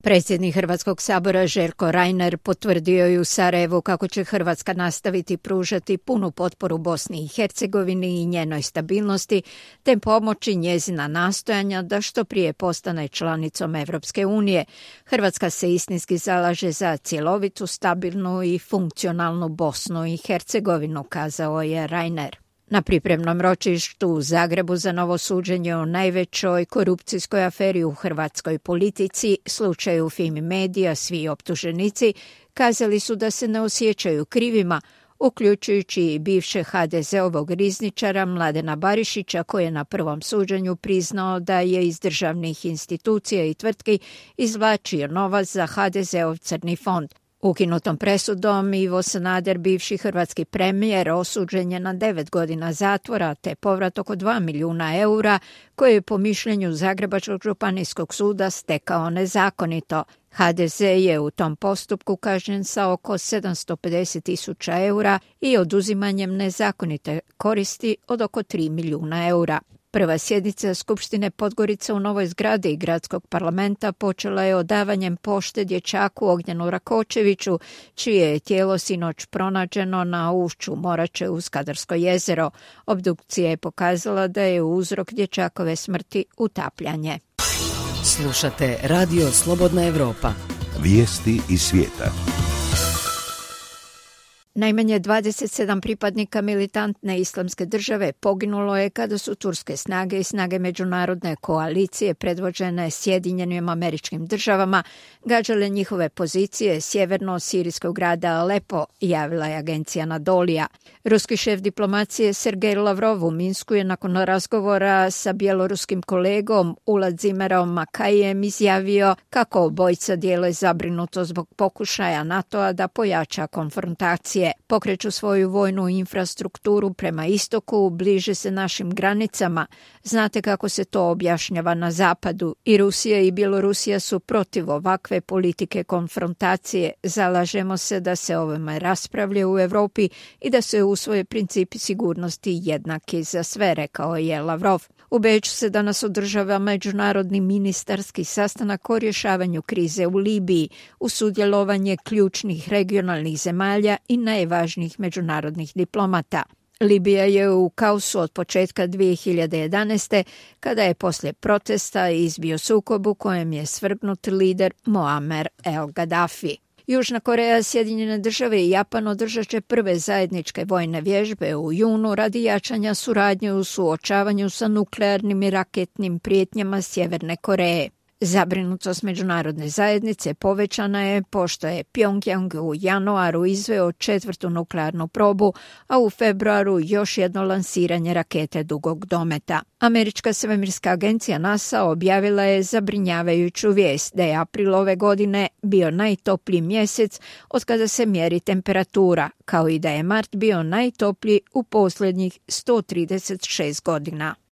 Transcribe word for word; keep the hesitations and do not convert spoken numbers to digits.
Predsjednik Hrvatskog sabora Željko Reiner potvrdio je u Sarajevu kako će Hrvatska nastaviti pružati punu potporu Bosni i Hercegovini i njenoj stabilnosti, te pomoći njezina nastojanja da što prije postane članicom Europske unije. Hrvatska se istinski zalaže za cjelovitu, stabilnu i funkcionalnu Bosnu i Hercegovinu, kazao je Reiner. Na pripremnom ročištu u Zagrebu za novo suđenje o najvećoj korupcijskoj aferi u hrvatskoj politici, slučaju Fimi Medija, svi optuženici kazali su da se ne osjećaju krivima, uključujući i bivšeg ha de zeovog rizničara Mladena Barišića, koji je na prvom suđenju priznao da je iz državnih institucija i tvrtki izvlačio novac za ha de zeov crni fond. Ukinutom presudom Ivo Sanader, bivši hrvatski premijer, osuđen je na devet godina zatvora te povrat oko dva milijuna eura koje je po mišljenju Zagrebačkog županijskog suda stekao nezakonito. ha de ze je u tom postupku kažnjen sa oko sedamsto pedeset tisuća eura i oduzimanjem nezakonite koristi od oko tri milijuna eura. Prva sjednica Skupštine Podgorice u novoj zgradi Gradskog parlamenta počela je odavanjem pošte dječaku Ognjenu Rakočeviću, čije je tijelo sinoć pronađeno na ušću Morače uz Kadarsko jezero. Obdukcija je pokazala da je uzrok dječakove smrti utapljanje. Slušate Radio Slobodna Evropa. Vijesti iz svijeta. Najmanje dvadeset sedam pripadnika militantne islamske države poginulo je kada su turske snage i snage međunarodne koalicije predvođene Sjedinjenim Američkim Državama gađale njihove pozicije sjeverno sirijskog grada Alepo, javila je agencija Anadolija. Ruski šef diplomacije Sergej Lavrov u Minsku je nakon razgovora sa bjeloruskim kolegom Uladzimerom Makajem izjavio kako obojica dijele zabrinuto zbog pokušaja NATO-a da pojača konfrontacije. Pokreću svoju vojnu infrastrukturu prema istoku, bliže se našim granicama. Znate kako se to objašnjava na zapadu. I Rusija i Bjelorusija su protiv ovakve politike konfrontacije. Zalažemo se da se ovome raspravlja u Europi i da se usvoje principi sigurnosti jednaki za sve, rekao je Lavrov. U Beču se danas održava međunarodni ministarski sastanak o rješavanju krize u Libiji uz sudjelovanje ključnih regionalnih zemalja i najvažnijih međunarodnih diplomata. Libija je u kaosu od početka dvije hiljade jedanaeste kada je poslije protesta izbio sukob u kojem je svrgnut lider Muammer el Gaddafi. Južna Koreja, Sjedinjene države i Japan održat će prve zajedničke vojne vježbe u junu radi jačanja suradnje u suočavanju sa nuklearnim i raketnim prijetnjama Sjeverne Koreje. Zabrinutost međunarodne zajednice povećana je pošto je Pjongjang u januaru izveo četvrtu nuklearnu probu, a u februaru još jedno lansiranje rakete dugog dometa. Američka svemirska agencija NASA objavila je zabrinjavajuću vijest da je april ove godine bio najtopliji mjesec od kada se mjeri temperatura, kao i da je mart bio najtopliji u posljednjih sto trideset šest godina.